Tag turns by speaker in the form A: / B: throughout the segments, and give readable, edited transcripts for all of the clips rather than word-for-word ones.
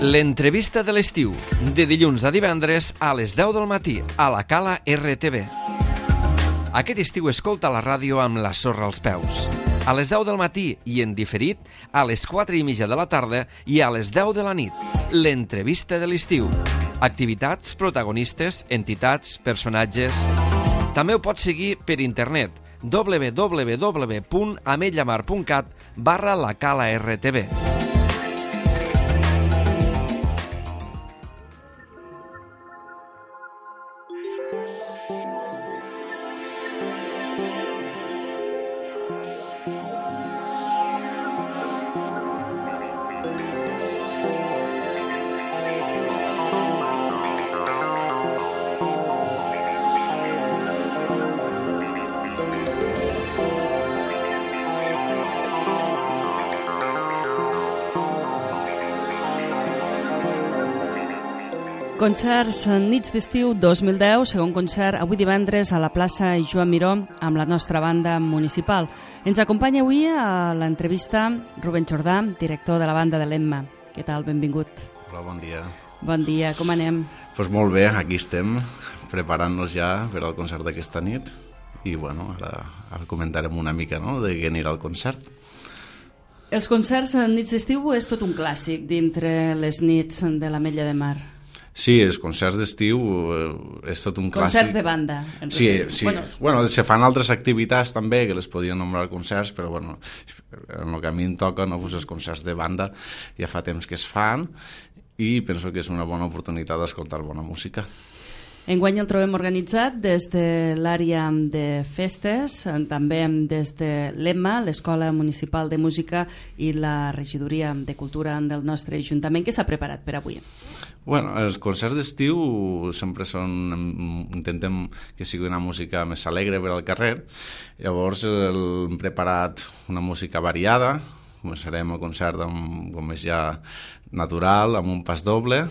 A: L'entrevista de l'estiu, de dilluns a divendres a les 10 del matí, a la Cala RTV. Aquest estiu escolta la ràdio amb la sorra als peus. A les 10 del matí i en diferit, a les 4:30 de la tarda i a les 10 de la nit. L'entrevista de l'estiu. Activitats, protagonistes, entitats, personatges... També ho pots seguir per internet www.ametlllamar.cat/lacala-rtv.
B: Concerts Nits d'Estiu 2010, segon concert avui divendres a la plaça Joan Miró amb la nostra banda municipal. Ens acompanya avui a l'entrevista Rubén Jordà, director de la banda de l'Emma. Què tal? Benvingut.
C: Hola, bon dia.
B: Bon dia, com anem?
C: Pues molt bé, aquí estem, preparant-nos ja per al concert d'aquesta nit i bueno, ara comentarem una mica, no?, de què anirà el concert.
B: Els concerts Nits d'Estiu és tot un clàssic dintre les nits de l'Ametlla de Mar.
C: Sí, els concerts d'estiu és tot un clàssic.
B: Concerts de banda.
C: Sí. Bueno, se fan altres activitats també que les podien nombrar concerts, però bueno, en el que a mi em toca, no, doncs els concerts de banda ja fa temps que es fan i penso que és una bona oportunitat d'escoltar bona música.
B: Enguany el trobem organitzat des de l'àrea de festes, també des de l'EMMA, l'Escola Municipal de Música i la Regidoria de Cultura del nostre Ajuntament. Què s'ha preparat per avui?
C: Bueno, els concerts d'estiu sempre intentem que sigui una música més alegre per al carrer. Llavors hem preparat una música variada. Començarem el concert com és ja natural, amb un pas doble,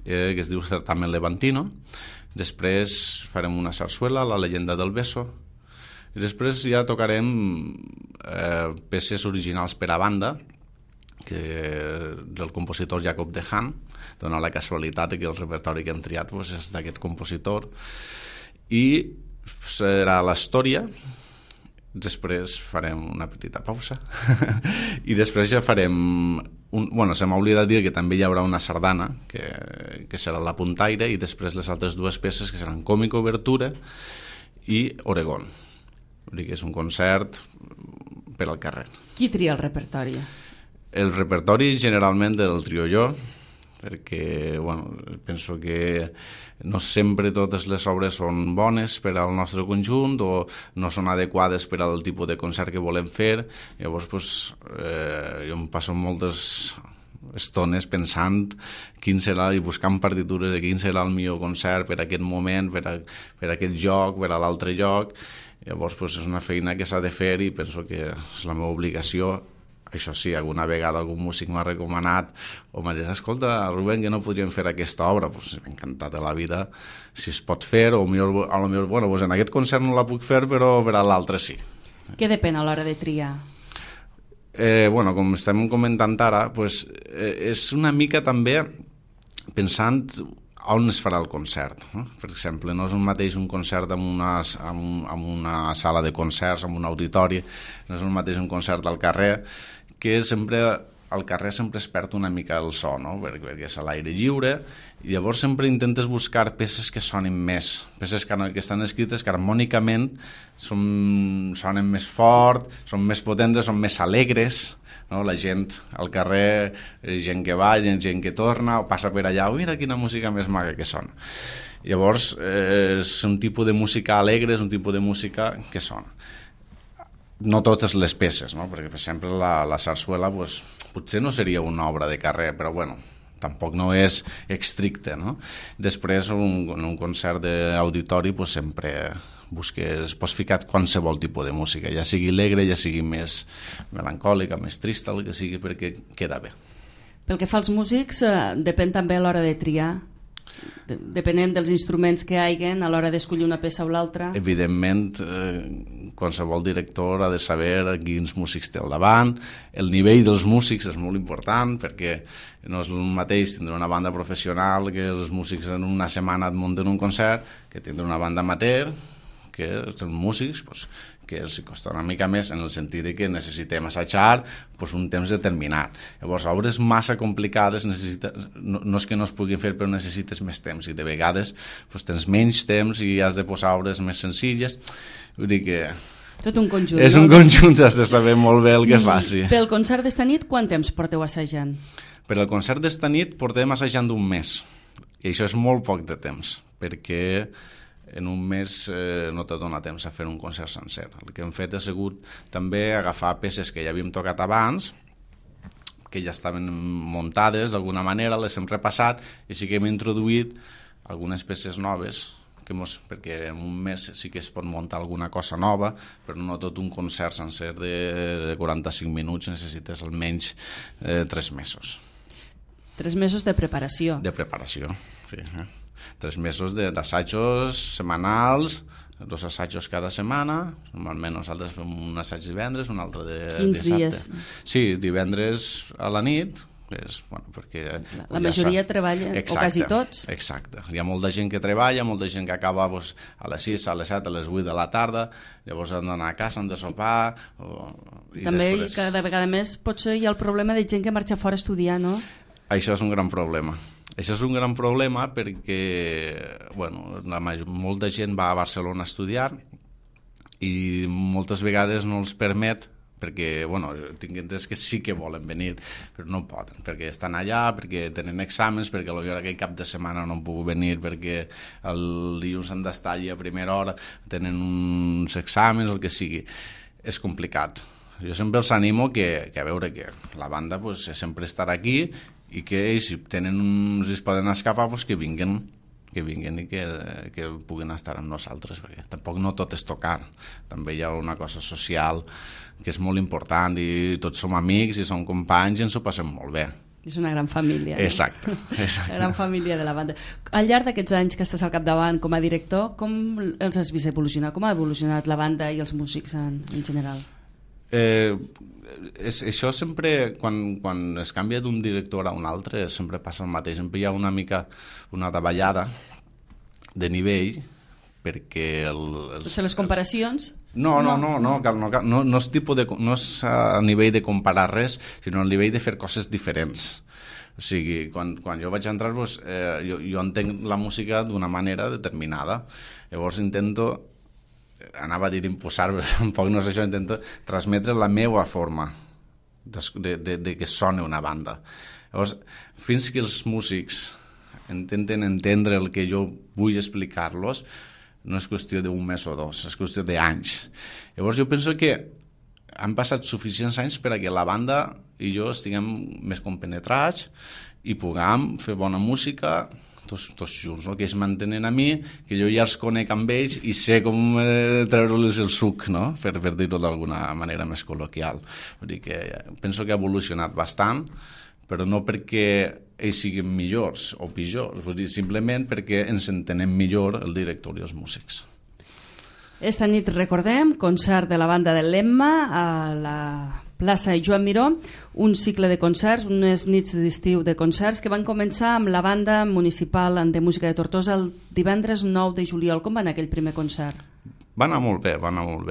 C: que es diu Certamen Levantino. Després farem una sarsuela, La llegenda del beso, i després ja tocarem peces originals per a banda del compositor Jacob de Haan. Dona la casualitat que el repertori que hem triat és d'aquest compositor, i serà l'història. Després farem una petita pausa i després ja farem se m'ha oblidat dir que també hi haurà una sardana que serà la puntaire, i després les altres dues peces que seran Còmica Obertura i Oregon. Vull dir que és un concert per al carrer.
B: Qui tria el repertori?
C: El repertori generalment del trio jo, perquè penso que no sempre totes les obres són bones per al nostre conjunt o no són adequades per al tipus de concert que volem fer. Llavors jo em passo moltes estones pensant quin serà i buscant partitures de quin serà el millor concert per a aquest moment, per a aquest lloc, per a l'altre lloc. Llavors és una feina que s'ha de fer i penso que és la meva obligació. Això sí, alguna vegada algun músic m'ha recomanat o m'ha dit, escolta, Rubén, que no podríem fer aquesta obra. M'ha encantat de la vida si es pot fer, o millor, en aquest concert no la puc fer, però per a l'altre sí.
B: Què depèn a l'hora de triar?
C: Com estem comentant ara, és una mica també pensant on es farà el concert. Per exemple, no és el mateix un concert en una sala de concerts, en un auditori, no és el mateix un concert al carrer, que sempre al carrer sempre es perd una mica el so, no? Perquè és a l'aire lliure, i llavors sempre intentes buscar peces que sonin més, peces que estan escrites que harmònicament sonen més fort, són més potents, són més alegres, no? La gent al carrer, gent que va, gent que torna, o passa per allà, mira quina música més maca que sona. Llavors és un tipus de música alegre, és un tipus de música que sona. No totes les peces, no? Perquè, per exemple, la sarsuela potser no seria una obra de carrer, però tampoc no és estricte, no? Després, en un concert d'auditori, sempre pots ficar qualsevol tipus de música, ja sigui alegre, ja sigui més melancòlica, més trista, el que sigui, perquè queda bé.
B: Pel que fa als músics, depèn també a l'hora de triar depenent dels instruments que haiguen a l'hora d'escollir una peça o l'altra.
C: Evidentment, qualsevol director ha de saber quins músics té al davant. El nivell dels músics és molt important, perquè no és el mateix tindre una banda professional que els músics en una setmana et munten un concert, que tindre una banda amateur, que els músics que els costa una mica més en el sentit de que necessitem assajar un temps determinat. Llavors, obres massa complicades no és que no es puguin fer, però necessites més temps i de vegades tens menys temps i has de posar obres més senzilles. Vull dir que
B: tot un conjunt.
C: És un conjunt, has de saber molt bé el que faci.
B: Pel concert d'esta nit, quant temps porteu assajant?
C: Per al concert d'esta nit portem assajant un mes, i això és molt poc de temps, perquè en un mes no te dona temps a fer un concert sencer. El que hem fet ha sigut també agafar peces que ja havíem tocat abans, que ja estaven muntades d'alguna manera, les hem repassat i sí que hem introduït algunes peces noves, perquè en un mes sí que es pot muntar alguna cosa nova, però no tot un concert sencer de 45 minuts, necessites almenys 3 mesos.
B: 3 mesos de preparació.
C: De preparació, sí. 3 mesos d'assajos setmanals, 2 assajos cada setmana. Normalment nosaltres fem un assaig divendres, un altre de dissabte. Dies? Sí, divendres a la nit, perquè
B: la majoria treballa, o quasi tots.
C: Exacte. Hi ha molta gent que treballa, molta gent que acaba a les 6, a les 7, a les 8 de la tarda, llavors han d'anar a casa, han de sopar.
B: També cada vegada més potser hi ha el problema de gent que marxa fora a estudiar, no?
C: Això és un gran problema. Això és un gran problema perquè molta gent va a Barcelona a estudiar i moltes vegades no els permet, perquè tinc entès que sí que volen venir, però no poden, perquè estan allà, perquè tenen exàmens, perquè potser aquell cap de setmana no han pogut venir, perquè el dilluns han d'estar allà a primera hora, tenen uns exàmens, el que sigui. És complicat. Jo sempre els animo que a veure que la banda sempre estarà aquí i que ells, si es poden escapar, que vinguin i que puguin estar amb nosaltres, perquè tampoc no tot és tocar, també hi ha una cosa social que és molt important i tots som amics i som companys i ens ho passem molt bé.
B: És una gran família.
C: Exacte.
B: La gran família de la banda. Al llarg d'aquests anys que estàs al capdavant com a director, com els has vist evolucionar? Com ha evolucionat la banda i els músics en general?
C: Això sempre, quan es canvia d'un director a un altre, sempre passa el mateix. Sempre hi ha una mica una davallada de nivell, perquè
B: les comparacions?
C: No és a nivell de comparar res, sinó a nivell de fer coses diferents. O sigui, quan jo vaig entrar, jo entenc la música d'una manera determinada. Llavors anava a dir imposar, però tampoc no és això, intento transmetre la meva forma de que soni una banda. Llavors, fins que els músics intenten entendre el que jo vull explicar-los, no és qüestió d'un mes o 2, és qüestió d'anys. Llavors jo penso que han passat suficients anys per a que la banda i jo estiguem més compenetrats i puguem fer bona música tots junts, no? Que ells mantenen a mi, que jo ja els conec amb ells i sé com treure-los el suc, no? Per dir-ho d'alguna manera més col·loquial. Vull dir que penso que ha evolucionat bastant, però no perquè ells siguin millors o pitjors, vull dir, simplement perquè ens entenem millor el director i els músics.
B: Esta nit, recordem, concert de la banda del Lemma a la plaça Joan Miró, un cicle de concerts, unes nits d'estiu de concerts que van començar amb la banda municipal de música de Tortosa el divendres 9 de juliol. Com va anar aquell primer concert?
C: Va anar molt bé,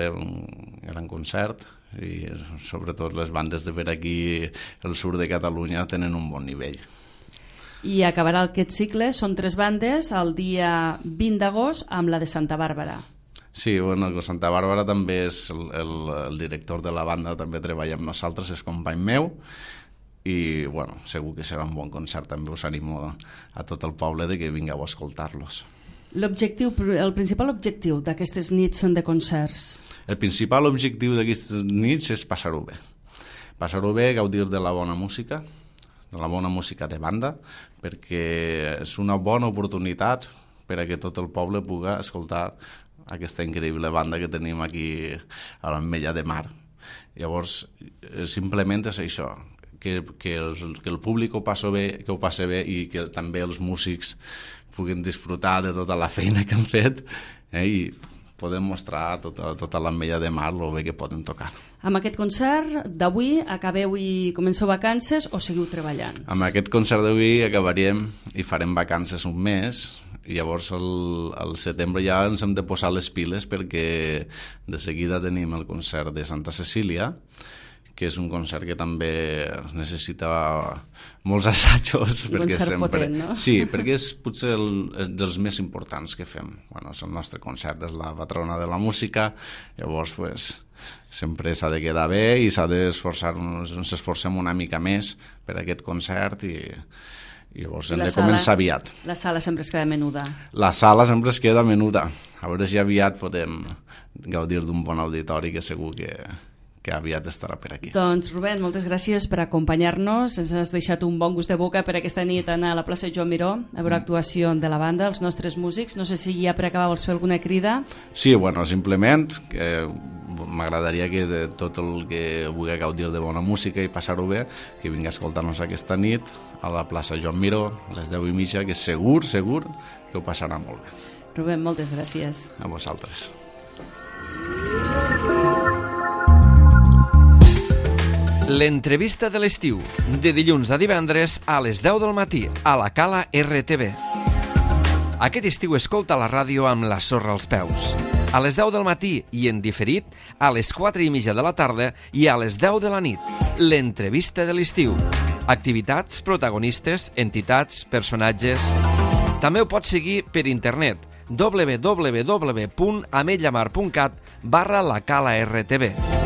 C: un gran concert, i sobretot les bandes de per aquí al sud de Catalunya tenen un bon nivell.
B: I acabarà aquest cicle, són 3 bandes, el dia 20 d'agost amb la de Santa Bàrbara.
C: Sí, Santa Bàrbara també és el director de la banda, també treballa amb nosaltres, és company meu, i segur que serà un bon concert. També us animo a tot el poble de que vingueu a escoltar-los.
B: El principal objectiu d'aquestes nits de concerts?
C: El principal objectiu d'aquestes nits és passar-ho bé. Passar-ho bé, gaudir de la bona música, de banda, perquè és una bona oportunitat per a que tot el poble pugui escoltar aquesta increïble banda que tenim aquí a l'Ametlla de Mar. Llavors, simplement és això, que el públic ho passi bé i que també els músics puguin disfrutar de tota la feina que han fet i podem mostrar tota l'ametlla de mar el bé que poden tocar.
B: Amb aquest concert d'avui acabeu i comenceu vacances o seguiu treballant?
C: Amb aquest concert d'avui acabaríem i farem vacances un mes i llavors al setembre ja ens hem de posar les piles perquè de seguida tenim el concert de Santa Cecília, que és un concert que també necessita molts assajos.
B: Un concert potent, no?
C: Sí, perquè és potser dels més importants que fem. Bueno, és el nostre concert, és la patrona de la música, llavors sempre s'ha de quedar bé i s'ha d'esforçar, ens esforcem una mica més per aquest concert i llavors hem de començar aviat.
B: La sala sempre es queda menuda.
C: La sala sempre es queda menuda. A veure si aviat podem gaudir d'un bon auditori que segur que aviat estarà per aquí.
B: Doncs Rubén, moltes gràcies per acompanyar-nos. Ens has deixat un bon gust de boca per aquesta nit anar a la plaça Joan Miró a veure actuació de la banda, els nostres músics. No sé si ja per acabar vols fer alguna crida.
C: Sí, bueno, simplement que m'agradaria que de tot el que vulgui gaudir de bona música i passar-ho bé, que vingui a escoltar-nos aquesta nit a la plaça Joan Miró a les 10:30, que segur que ho passarà molt bé.
B: Rubén, moltes gràcies.
C: A vosaltres.
A: L'entrevista de l'estiu, de dilluns a divendres a les 10 del matí, a la Cala RTV. Aquest estiu escolta la ràdio amb la sorra als peus. A les 10 del matí i en diferit a les 4:30 de la tarda i a les 10 de la nit. L'entrevista de l'estiu. Activitats, protagonistes, entitats, personatges... També ho pots seguir per internet www.ametllamar.cat/la Cala RTV.